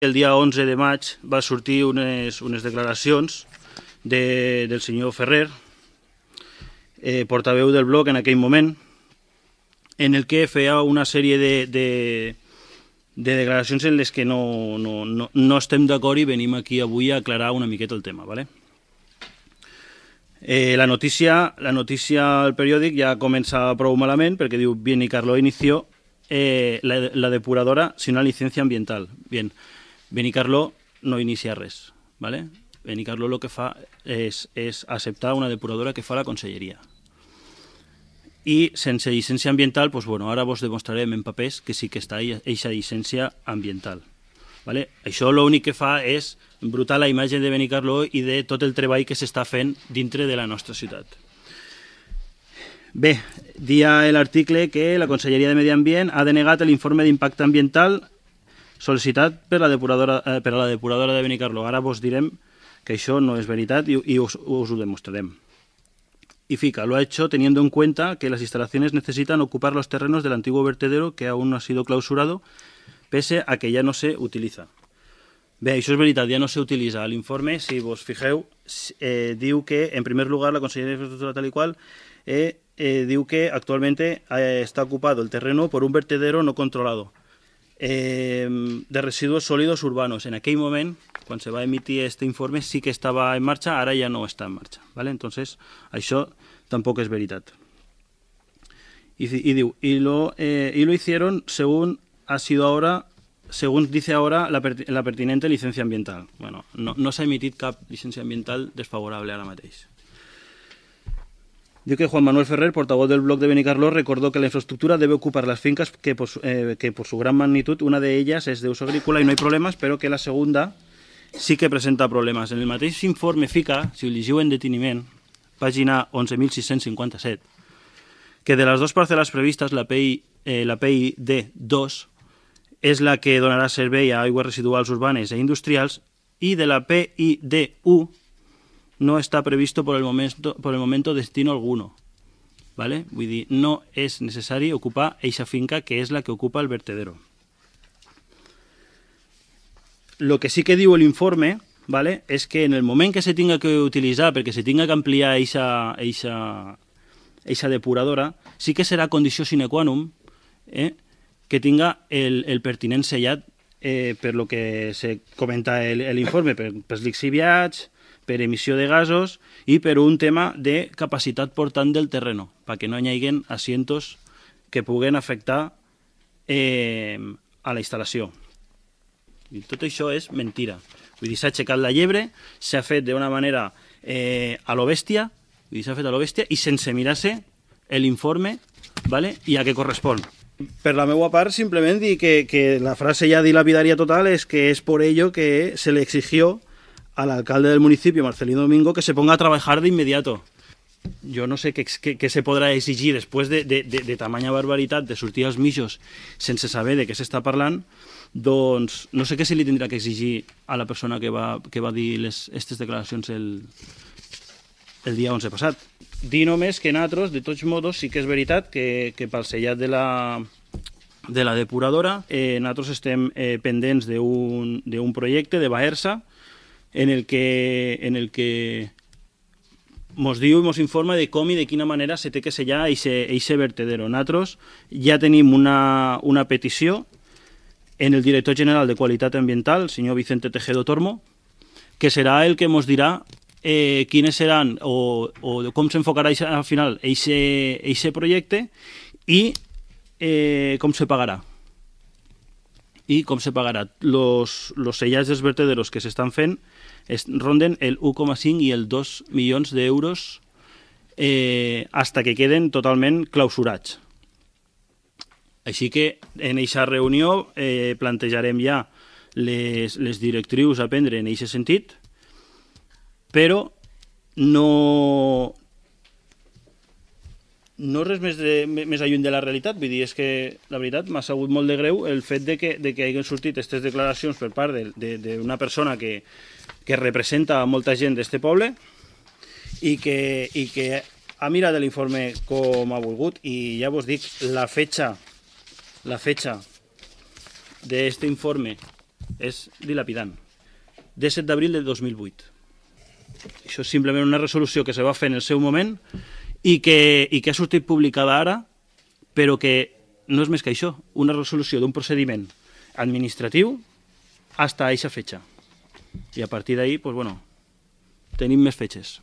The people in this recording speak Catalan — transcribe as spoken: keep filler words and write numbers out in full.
El dia onze de maig va sortir unes, unes declaracions de, del senyor Ferrer, eh, portaveu del bloc en aquell moment, en el que feia una sèrie de, de, de declaracions en les que no, no, no, no estem d'acord i venim aquí avui a aclarar una miqueta el tema. ¿Vale? Eh, la notícia, la notícia al periòdic ja comença prou malament perquè diu Benicarló inició eh, la, la depuradora sin una licencia ambiental. Bien, Benicarló no inicia res, ¿vale? Benicarló lo que fa és, és acceptar una depuradora que fa la conselleria. I sense llicència ambiental, pues bueno, ara vos demostrarem en papers que sí que està eixa llicència ambiental. ¿Vale? Això l'únic que fa és embrutar la imatge de Benicarló i de tot el treball que s'està fent dintre de la nostra ciutat. Bé, dia l'article que la Conselleria de Medi Ambient ha denegat l'informe d'impacte ambiental sol·licitat per, la depuradora, eh, per a la depuradora de Benicarló. Ara vos direm que això no és veritat i, i us, us ho demostrarem. Y fica, lo ha hecho teniendo en cuenta que las instalaciones necesitan ocupar los terrenos del antiguo vertedero que aún no ha sido clausurado, pese a que ya no se utiliza. Bé, això és veritat, ja no se utilitza. L'informe, si vos fijeu, eh, diu que, en primer lugar, la Conselleria de Infraestructura tal y cual, eh, eh, diu que actualmente eh, está ocupado el terreno por un vertedero no controlado eh, de residuos sólidos urbanos. En aquell moment, quan se va emitir este informe, sí que estava en marxa, ara ja no està en marxa. ¿Vale? Entonces, això tampoc és veritat. Y, y diu, y lo, eh, y lo hicieron según ha sido ahora, según dice ahora la, per, la pertinente licencia ambiental. Bueno, no, no s'ha emitit cap llicència ambiental desfavorable ara mateix. Diu que Juan Manuel Ferrer, portavoz del bloc de Benicarló, recordó que la infraestructura debe ocupar las fincas que por, eh, que por su gran magnitud, una de ellas es de uso agrícola y no hay problemas, pero que la segunda sí que presenta problemes. En el mateix informe fica, si ho llegiu en deteniment, pàgina onze mil sis-cents cinquanta-set, que de les dues parcel·les previstes, la P I, eh, la P I D dos és la que donarà servei a aigües residuals urbanes e industrials i de la P I D u no està previsto por el momento, por el momento destino alguno. ¿Vale? Vull dir, no és necessari ocupar eixa finca que és la que ocupa el vertedero. Lo que sí que diu l'informe, ¿vale?, és que en el moment que se tinga que utilitzar, perquè se tinga que ampliar eixa, eixa, eixa depuradora, sí que serà condició sine qua non eh, que tinga el, el pertinent sellat eh, per lo que se comenta l'informe, per, per lixiviats, per emissió de gasos i per un tema de capacitat portant del terreno, perquè no hi hagi asientos que puguen afectar eh, a la instal·lació. I tot això és mentira. Vull dir, s'ha aixecat la llebre, s'ha fet d'una manera eh, a lo bèstia, vull dir, s'ha fet a lo bèstia i sense mirar-se l'informe, ¿vale?, i a què correspon. Per la meva part, simplement dir que, que la frase ja dilapidaria total és que és por ello que se le exigió al alcalde del municipio, Marcelino Domingo, que se ponga a trabajar de inmediato. Jo no sé què, què, què se podrà exigir després de, de, de, de tamanya barbaritat, de sortir als mitjos sense saber de què s'està parlant, doncs no sé què se li tindrà que exigir a la persona que va, que va dir aquestes declaracions el, el dia onze passat. Dir només que nosaltres, de tots modos, sí que és veritat que, que pel sellat de la, de la depuradora eh, nosaltres estem eh, pendents d'un projecte de Baersa en el que, en el que mos diu i mos informa de com i de quina manera se té que sellar eixe vertedero. Nosaltres ja tenim una, una petició en el director general de Qualitat Ambiental, el senyor Vicente Tejedo Tormo, que serà el que mos dirà eh, quines seran o, o com s'enfocarà al final eixe projecte i eh, com se pagarà. I com se pagarà. Los, los sellats dels vertederos que s'estan fent es ronden el u coma cinc i el dos milions d'euros eh, hasta que queden totalment clausurats. Així que en aquesta reunió eh, plantejarem ja les, les directrius a prendre en aquest sentit, però no, no res més, de, més alluny de la realitat. Vull dir, és que la veritat m'ha sabut molt de greu el fet de que, de que hagin sortit aquestes declaracions per part d'una persona que, que representa a molta gent d'este poble i que, i que ha mirat l'informe com ha volgut. I ja vos dic, la fetxa, la fetxa d'este informe és dilapidant. disset d'abril del dos mil vuit. Això és simplement una resolució que se va fer en el seu moment i que, i que ha sortit publicada ara, però que no és més que això, una resolució d'un procediment administratiu fins a aquesta fetge. I a partir d'ahí, pues, bueno, tenim més fetges.